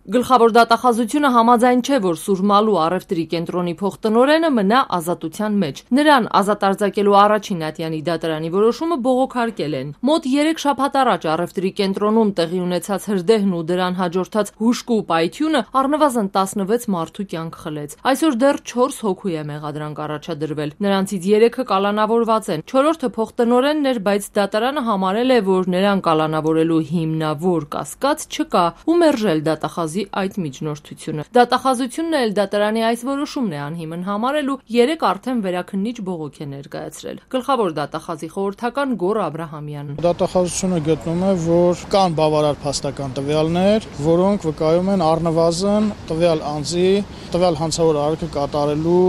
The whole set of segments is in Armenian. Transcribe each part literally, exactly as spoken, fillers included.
Գլխավոր դատախազությունը համաձայն չէ, որ Սուրմալու առևտրի կենտրոնի փոխտնօրենը մնա ազատության մեջ։ Նրան ազատ արձակելու առաջին ատյանի դատարանի որոշումը բողոքարկել են։ Մոտ երեք շաբաթ առաջ առևտրի կենտրոնում տեղի ունեցած հրդեհն ու դրան հաջորդած հուժկու պայթյունը առնվազն տասնվեց մարդու կյանք խլեց։ Այսօր դեռ չորս հոգու է մեղադրանք առաջադրվել։ Նրանցից երեքը կալանավորված են։ Չորրորդը փոխտնօրենն էր, բայց դատարանը համարել է, որ նրան կալանավորելու հիմնավոր կասկած չկա ու մերժել դատախազի այդ միջնորդությունը։ Դատախազությունն էլ դատարանի այս որոշումն է անհիմն համարել ու երեք արդեն վերաքննիչ բողոք է ներկայացրել։ Գլխավոր դատախազի խորհրդական Գոռ Աբրահամյանը։ Դատախազությունը գտնում է, որ կան բավարար փաստական տվյալներ, որոնք վկայում են առնվազն տվյալ անձի տվյալ հանցավոր արարքը կատարելու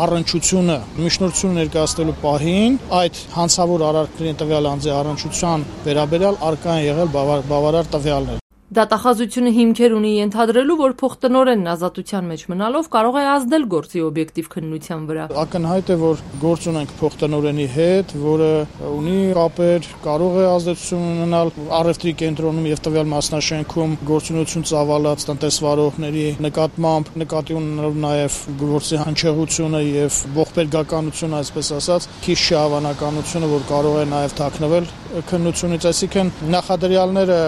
առնչությունը միջնորդություն ներկայացնելու պահին այդ հանցավոր արարքների տվյալ անձի առնչության վերաբերյալ առկա են եղել բավարար տվյալներ։ Դատախազությունը հիմքեր ունի ենթադրելու, որ փոխտնօրենն ազատության մեջ մնալով կարող է ազդել գործի օբյեկտիվ քննության վրա։ Ակնհայտ է, որ գործ ունենք փոխտնօրենի հետ, որը ունի կապեր, կարող է ազդեցություն ունենալ առևտրի կենտրոնում եւ տվյալ մասնաշենքում գործունեություն ծավալած տնտեսվարողների նկատմամբ, նկատի ունենալով նաեւ գործի հնչեղությունը եւ ողբերգականությունը, այսպես ասած, քիչ հավանականությունը, որ կարող է նաեւ թաքնվել քննությունից, այսինքն նախադրյալները,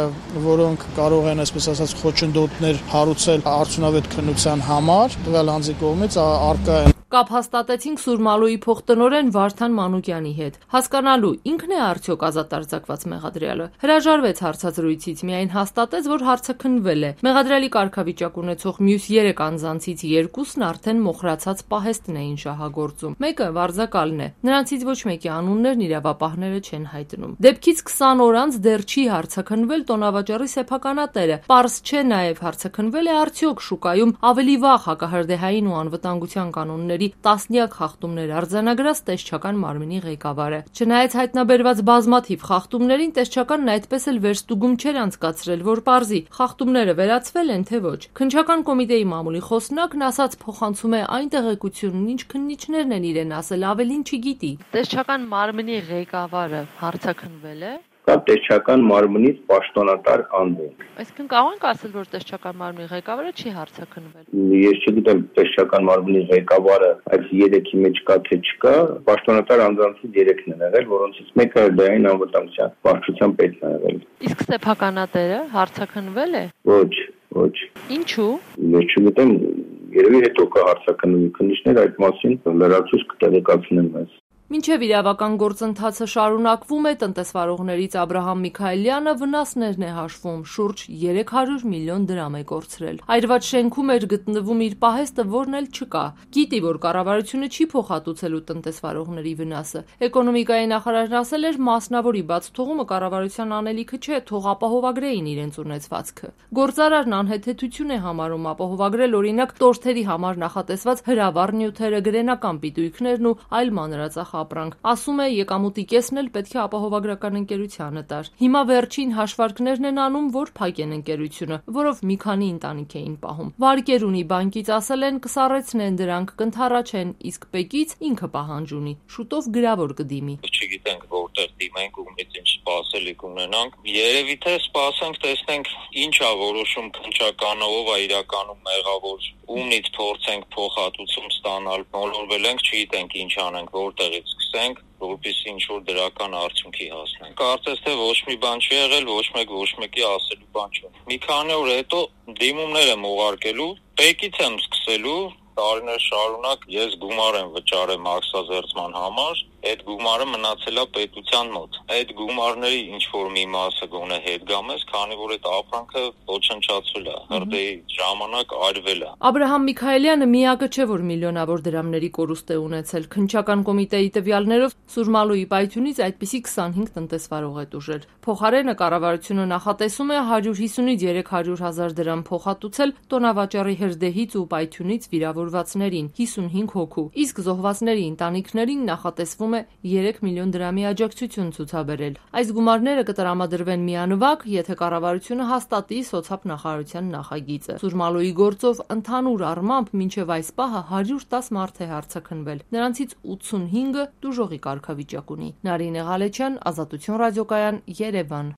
որոնք կարող են, այսպես ասած, խոչընդոտներ հարուցել արդյունավետ քննության համար, տվյալ անձի կողմից առկա են։ Կապ հաստատեցինք Սուրմալուի փոխտնօրեն Վարդան Մանուկյանի հետ։ Հասկանալու ինքն է արդյոք ազատ արձակված մեղադրյալը։ Հրաժարվեց հարցազրույցից, միայն հաստատեց, որ հարցը քննվել է։ Մեղադրյալի կարգավիճակ ունեցող մյուս երեք անձանցից երկուսն արդեն մոխրացած պահեստն էին շահագործում։ Մեկը վարձակալն է։ Նրանցից ոչ մեկի անուններն իրավապահները չեն հայտնում։ Դեպքից քսան օր անց դեռ չի հարցաքննվել տոնավաճառի սեփականատերը։ Պարզ չէ նաև հարցաքննվել է արդյոք շուկայում ավելի վաղ հակահրդեհային ու անվտանգության կանոններ տասնյակ խախտումներ արձանագրած տեսչական մարմնի ղեկավարը։ Չնայած հայտնաբերված բազմաթիվ խախտումներին, տեսչականն այդպես էլ վերստուգում չէր անցկացրել, որ պարզի խախտումները վերացվել են թե ոչ։ Քննչական կոմիտեի մամուլի խոսնակն ասաց փոխանցում է այն տեղեկությունն, ինչ քննիչներն են իրեն ասել, ավելին չգիտի։ Տեսչական մարմնի ղեկավարը հարցաքննվել է։ Կա տեսչական մարմնից պաշտոնատար անձ։ Այսինքն կարող ենք ասել, որ տեսչական մարմնի ղեկավարը չի հարցաքննվել։ Ես չգիտեմ տեսչական մարմնի ղեկավարը այս երեքի մեջ կա թե չկա, պաշտոնատար անձանցից երեքն են եղել, որոնցից մեկը դային անվտանգության վարչության պետն է եղել։ Իսկ սեփականատերը հարցաքննվել է։ Ոչ, ոչ։ Ինչու։ Ես չգիտեմ, երևի հետո կա հարցաքննումը, քննիչներ այդ մասին լրացուցիչ կտեղեկացնեն մեզ։ Մինչև իրավական գործընթացը շարունակվում է, տնտեսվարողներից Աբրահամ Միքայելյանը վնասներն է հաշվում, շուրջ երեք հարյուր միլիոն դրամ է կորցրել։ Այրված շենքում էր գտնվում իր պահեստը, որն էլ չկա։ Գիտի, որ կառավարությունը չի փոխհատուցելու տնտեսվարողների վնասը։ Էկոնոմիկայի նախարարն ասել էր, մասնավորի բաց թողումը կառավարության անելիքը չէ, թող ապահովագրեին իրենց ունեցվածքը։ Գործարարն անհեթեթություն է համարում ապահովագրել օրինակ տորթերի համար նախատեսված հրավառ նյութերը, գրենական պիտույքներն ու այլ մանրածախ ապրանք։ Ասում է, եկամուտի կեսն էլ պետք է ապահովագրական ընկերությանը տար։ Հիմա վերջին հաշվարկներն են անում, որ փակեն ընկերությունը, որով մի քանի ընտանիք էին պահում։ Վարկեր ունի բանկից, ասել են կսառեցնեն դրանք, կընթառաջեն, իսկ ՊԵԿ-ից ինքը պահանջ ունի։ Շուտով գրավոր կդիմի։ Չգիտենք որտեղ դիմենք, ումից ինչ սպասելիք ունենանք։ Երևի թե սպասենք, տեսնենք ինչ է որոշում քննչականը, ով է իրականում մեղավոր, ումից փորձենք փոխհատուցում ստանալ, մոլորվել ենք, չգիտենք ինչ անենք, որտեղից սկսենք, որպեսզի ինչ-որ դրական արդյունքի հասնենք։ Կարծես թե ոչ մի բան չի եղել, ոչ մեկ ոչ մեկի ասելու բան չունի։ Մի քանի օր հետո դիմումներ եմ ուղարկելու, ՊԵԿ-ից եմ սկսելու, տարիներ շարունակ ես գումար եմ վճարել մաքսազերծման համար, այդ գումարը մնացել է պետության մոտ։ Այդ գումարների ինչ-որ մի մասը գոնե հետ գամես, քանի որ այդ ապրանքը ոչնչացվել է, հրդեհի ժամանակ արվել է։ Աբրահամ Միքայելյանը միակը չէ, որ միլիոնավոր դրամների կորուստ է ունեցել։ Քննչական կոմիտեի տվյալներով Սուրմալուի պայթյունից այդպիսի քսանհինգ տնտեսվարող է տուժել։ Փոխարենը կառավարությունը նախատեսում է հարյուր հիսունից երեք հարյուր հազար դրամ փոխհատուցել տոնավաճառի հրդեհից ու պայթյունից վիրավորվածներին, հիսունհինգ հոգու, իսկ զոհվածների ընտանիքներին նախատեսվում է երեք միլիոն դրամի աջակցություն ցուցաբերել։ Այս գումարները կտրամադրվեն միանվագ, եթե կառավարությունը հաստատի սոցիալ նախագիծը։ Սուրմալուի գործով ընդհանուր առմամբ մինչև այս պահը հարյուր տասը մարդ է հարցաքննվել։ Նրանցից ութսունհինգը տուժողի կարգավիճակ ունի։ Նարինե Ղալեչյան, Ազատություն ռադիոկայան, Երևան։